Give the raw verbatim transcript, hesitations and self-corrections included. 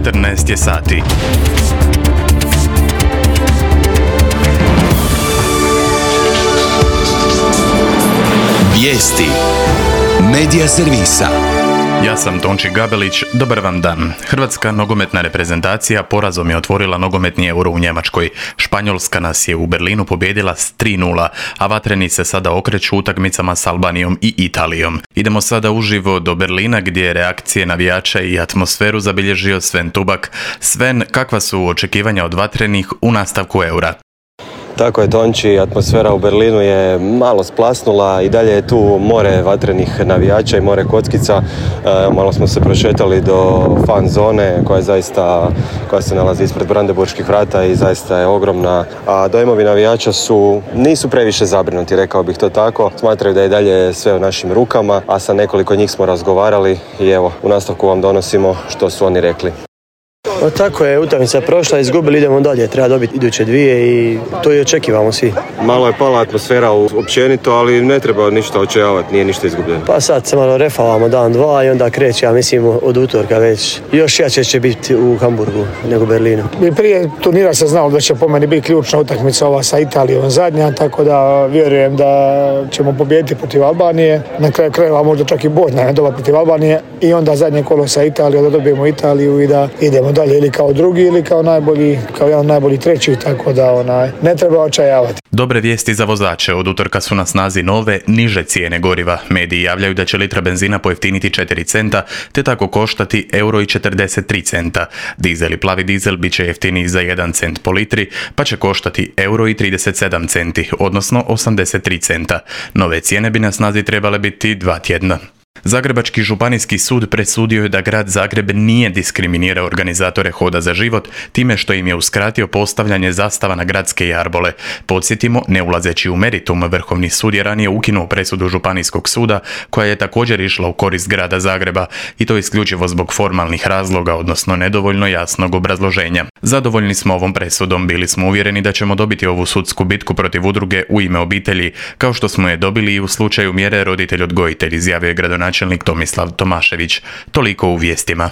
četrnaest je sati. Vijesti Medija servisa. Ja sam Tonči Gabelić, dobar vam dan. Hrvatska nogometna reprezentacija porazom je otvorila nogometni Euro u Njemačkoj. Španjolska nas je u Berlinu pobijedila s tri nula, a vatreni se sada okreću utakmicama s Albanijom i Italijom. Idemo sada uživo do Berlina gdje je reakcije navijača i atmosferu zabilježio Sven Tubak. Sven, kakva su očekivanja od vatrenih u nastavku Eura? Tako je, Tonči, atmosfera u Berlinu je malo splasnula i dalje je tu more vatrenih navijača i more kockica. E, malo smo se prošetali do fan zone koja je zaista, koja se nalazi ispred brandenburških vrata i zaista je ogromna. A dojmovi navijača su, nisu previše zabrinuti, rekao bih to tako. Smatraju da je dalje sve u našim rukama, a sa nekoliko njih smo razgovarali i evo, u nastavku vam donosimo što su oni rekli. O, tako je, utakmica je prošla, izgubili, idemo dalje, treba dobiti iduće dvije i to i očekivamo svi. Malo je pala atmosfera općenito, ali ne treba ništa očajavati, nije ništa izgubljeno. Pa sad se malo refavamo dan, dva i onda kreće, ja mislim, od utorka već. Još jače će biti u Hamburgu nego u Berlinu. I prije turnira se znalo da će po meni biti ključna utakmica ova sa Italijom zadnja, tako da vjerujem da ćemo pobijediti protiv Albanije. Na kraju krajeva možda čak i bodna doba protiv Albanije i onda zadnje kolo sa Italijom, da dobijemo Italiju i da idemo dalje ili kao drugi ili kao najbolji, kao jedan najbolji treći, tako da onaj, ne treba očajavati. Dobre vijesti za vozače. Od utorka su na snazi nove, niže cijene goriva. Mediji javljaju da će litra benzina pojeftiniti četiri centa, te tako koštati euro i četrdeset tri centa. Dizel i plavi dizel bit će jeftiniji za jedan cent po litri, pa će koštati euro i trideset sedam centi, odnosno osamdeset tri centa. Nove cijene bi na snazi trebale biti dva tjedna. Zagrebački županijski sud presudio je da grad Zagreb nije diskriminirao organizatore Hoda za život time što im je uskratio postavljanje zastava na gradske jarbole. Podsjetimo, ne ulazeći u meritum, Vrhovni sud je ranije ukinuo presudu Županijskog suda koja je također išla u korist grada Zagreba i to isključivo zbog formalnih razloga, odnosno nedovoljno jasnog obrazloženja. Zadovoljni smo ovom presudom, bili smo uvjereni da ćemo dobiti ovu sudsku bitku protiv udruge U ime obitelji, kao što smo je dobili i u slučaju mjere roditelj-odgojitelj, izjavio je gradonačelnik Tomislav Tomašević. Toliko u vijestima.